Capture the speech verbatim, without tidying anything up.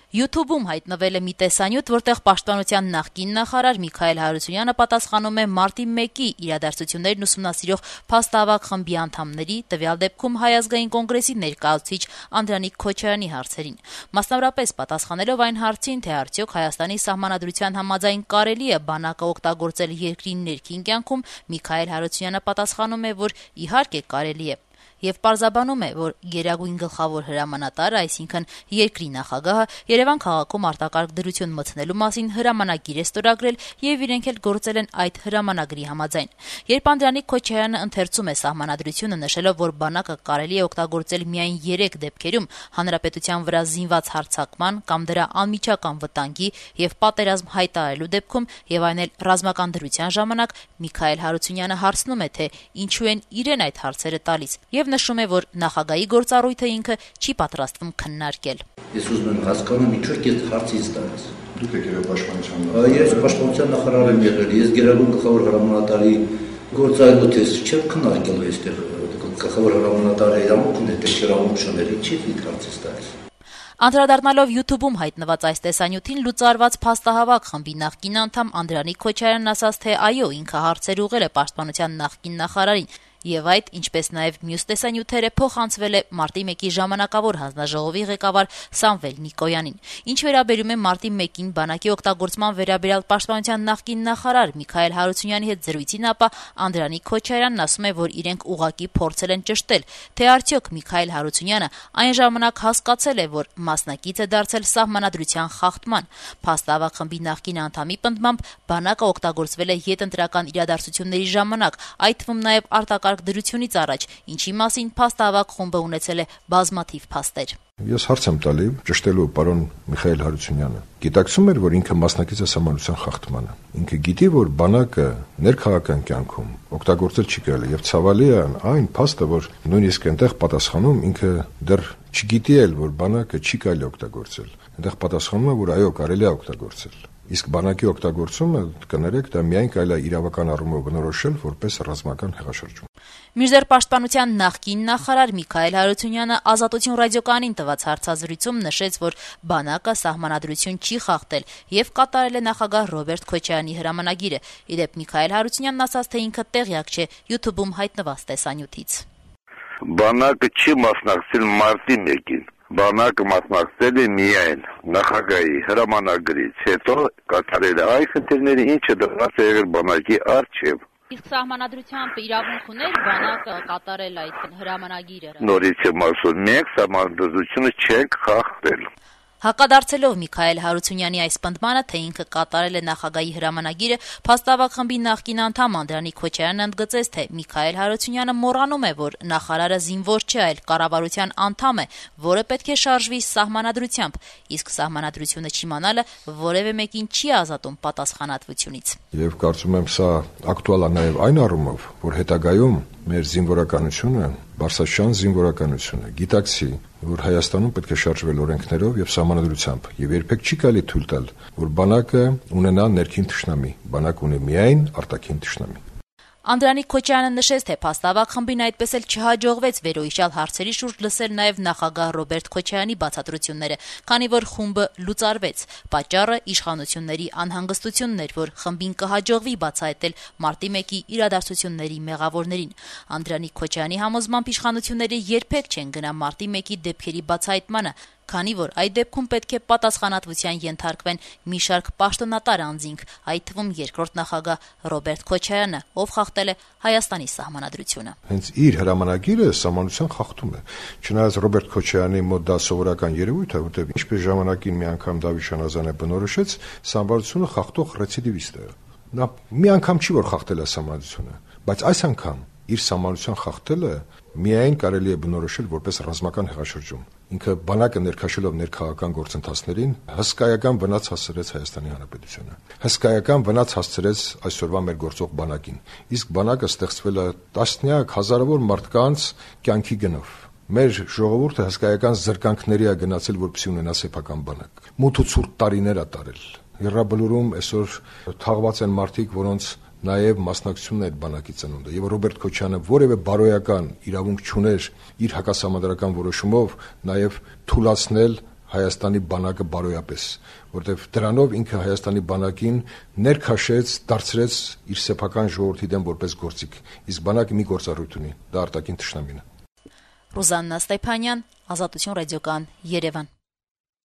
YouTube-ում հայտնվել է մի տեսանյութ, որտեղ Պաշտպանության նախկին նախարար Միքայել Հարությունյանը պատասխանում է մարտի մեկի իրադարձություններն ուսումնասիրող փաստահավաք խմբի անդամների, տվյալ դեպքում Հայ ազգային կոնգրեսի ներկայացուցիչ Անդրանիկ Քոչարյանի հարցերին։ Մասնավորապես պատասխանելով այն հարցին, թե արդյոք Հայաստանի սահմանադրության համաձայն կարելի է բանակը օգտագործել երկրի ներքին կյանքում, Միքայել Հարությունյանը պատասխանում է, որ իհարկե կարելի է։ Եվ պարզաբանում է, որ գերագույն գլխավոր հրամանատարը, այսինքն երկրի նախագահը, Երևան քաղաքում արտակարգ դրություն մտցնելու մասին հրամանագիր է ստորագրել եւ իրենք էլ գործել են այդ հրամանագրի համաձայն։ Երբ Անդրանիկ Քոչարյանը ընթերցում է սահմանադրությունը, նշելով, որ բանակը կարելի է օգտագործել միայն երեք դեպքերում՝ հանրապետության վրա զինված հարձակման կամ դրա անմիջական վտանգի եւ պատերազմ հայտարարելու դեպքում եւ այն էլ ռազմական դրության ժամանակ, Միքայել Հարությունյանը հարցնում է, թե ինչու են իրեն այդ հարցերը տալիս եւ նշում է, որ նախագահի գործառույթը ինքը չի պատրաստվում քննարկել։ Ես ուզում եմ հասկանամ, ինչու եք այդ հարցից տալիս։ Դուք եք եղել պաշտպանության նախարար։ Ես պաշտպանության նախարար եմ եղել, ես գերագույն գլխավոր հրամանատարի գործառույթը չեմ քննարկել այստեղ, գլխավոր հրամանատարի իրավունքն է, թե իրավունք շներ, ինչի՞ այդ հարցից տալիս։ Անդրադառնալով YouTube-ում հայտնված այս տեսանյութին լուծարված փաստահավաք խմբի նախկին անդամ Անդրանիկ Քոչարյանն ասաց, թե այո, ինքը հարցեր ուղղել է Պաշտպանության նախկին նախարարին, եւ այդ, ինչպես նաեւ մյուս տեսանյութերը, փոխանցվել է մարտի մեկի ժամանակավոր հանձնաժողովի ղեկավար Սամվել Նիկոյանին։ Ինչ վերաբերում է մարտի մեկին բանակի օգտագործման վերաբերյալ Պաշտպանության նախկին նախարար Միքայել Հարությունյանի հետ զրույցին, ապա Անդրանիկ Քոչարյանն ասում է, որ իրենք ուղղակի փորձել են ճշտել, թե արդյոք Միքայել Հարությունյանը այն ժամանակ հասկացել է, որ մասնակից է դարձել սահմանադրության խախտման։ Փաստահավաք խմբի նախկին անդամի պնդմամբ բանակը օգտագործվել է յետընտրական իրադարձությունների ժամանակ, այդ թվում նաեւ արտակարգ դրությունից առաջ, ինչի մասին փաստահավաք խումբը ունեցել է բազմաթիվ փաստեր։ Ես հարց եմ տալի ճշտելու պարոն Միքայել Հարությունյանը։ Գիտակցում էր, որ ինքը մասնակից է սահմանադրության խախտմանը։ Ինքը գիտի, որ բանակը ներքաղաքական կյանքում օգտագործել չի կարելի, եւ ցավալի է այն փաստը, որ նույնիսկ այնտեղ պատասխանում ինքը դեռ չգիտի էլ, որ բանակը չի կարելի օգտագործել։ Այնտեղ պատասխանում է, որ այո, կարելի է օգտագործել։ Իսկ բանակի օգտագործումը, կներեք, դա միայն կարելի է իրավական առումով բնորոշել որպես ռազմական հեղաշրջում։ Մինչդեռ Պաշտպանության նախկին նախարար Միքայել Հարությունյանը Ազատություն ռադիոկայանին տված հարցազրույցում նշեց, որ բանակը սահմանադրություն չի խախտել եւ կատարել է նախագահ Ռոբերտ Քոչարյանի հրամանագիրը։ Իդեպ Միքայել Հարությունյանն ասաց, թե ինքը տեղյակ չէ YouTube-ում հայտնված տեսանյութից։ Բանակը չի մասնակցել մարտի մեկին։ Բանակը մասնակցել է միայն նախագահի հրամանագրից հետո կատարել է այն խնդիրները, ինչը դրված է եղել բանակի առջև։ Իսկ սահմանադրությամբ իրավունք ուներ բանակը կատարել այդ հրամանագիրը։ Նորից եմ ասում, մենք սահմանադրությունը չենք խախտել։ Հակադարձելով Միքայել Հարությունյանի այս պնդմանը, թե ինքը կատարել է նախագահի հրամանագիրը, փաստահավաք խմբի նախկին անդամ Անդրանիկ Քոչարյանն ընդգծեց, թե Միքայել Հարությունյանը մոռանում է, որ նախարարը զինվոր չէ, այլ կառավարության անդամ է, որը պետք է շարժվի սահմանադրությամբ, իսկ սահմանադրությունը չիմանալը որևէ մեկին չի ազատում պատասխանատվությունից։ Եվ կարծում եմ, սա ակտուալ է նաև այն առումով, որ հետագայում մեր զինվորականությունը, Բարսաշյան զինվորականությունը գիտակցի, որ Հայաստանում պետք է շարժվել օրենքներով եւ սահմանադրությամբ, եւ երբեք չի կարելի թույլ տալ, որ բանակը ունենա ներքին թշնամի, բանակ ունի միայն արտաքին թշնամի։ Անդրանիկ Քոչարյանը նշեց, թե փաստահավաք խմբին այդպես էլ չհաջողվեց վերոհիշյալ հարցերի շուրջ լսել նաև նախագահ Ռոբերտ Քոչարյանի բացատրությունները, քանի որ խումբը լուծարվեց։ Պատճառը իշխանությունների անհանգստությունն էր, որ խմբին կհաջողվի բացահայտել մարտի մեկի իրադարձությունների մեղավորներին։ Անդրանիկ Քոչարյանի համոզմամբ իշխանությունները երբեք չեն գնա մարտի մեկի դեպքերի բացահայտմանը, քանի որ այդ դեպքում պետք է պատասխանատվության ենթարկվեն մի շարք պաշտոնատար անձինք, այդ թվում երկրորդ նախագահ Ռոբերտ Քոչարյանը, ով խախտել է Հայաստանի սահմանադրությունը։ Հենց իր հրամանագիրը սահմանության խախտում է։ Չնայած Ռոբերտ Քոչարյանի մոտ դա սովորական երևույթ է, որտեղ ինչպես ժամանակին մի անգամ Դավիթ Շանազյանը բնորոշեց, սահմանությունը խախտող ռեցիդիվիստ է։ Նա մի անգամ չի որ խախտել է սահմանությունը, բայց այս անգամ իր սահմանության խախտելը միայն կարելի է բնորոշել որպես ռազմական հեղաշրջում։ Ինքը բանակը ներքաշելով ներքաղաքական գործընթացներին հսկայական վնաս հասցրեց Հայաստանի Հանրապետությանը։ Հսկայական վնաս հասցրեց այսօրվա մեր գործող բանակին։ Իսկ բանակը ստեղծվել է տասնյակ հազարավոր մարդկանց կյանքի գնով։ Մեր ժողովուրդը հսկայական զրկանքների է գնացել, որպեսզի ունենա սեփական բանակ։ Մութ ու ցուրտ տարիներ է տարել։ Եռաբլուրում այսօր թաղված են մարդիկ, որոնց նաև մասնակցությունն է այդ բանակի ծնունդը, եւ Ռոբերտ Քոչարյանը որևէ բարոյական իրավունք չուներ իր հակասահմանադրական որոշումով նաև թուլացնել Հայաստանի բանակը բարոյապես, որտեղ դրանով ինքը Հայաստանի բանակին ներքաշեց, դարձրեց իր սեփական ժողովրդի դեմ որպես գործիք, իսկ բանակը մի գործառույթ ունի, դա արտաքին թշնամին է։ Ռուզաննա Ստեփանյան, Ազատություն ռադիոկայան, Երևան։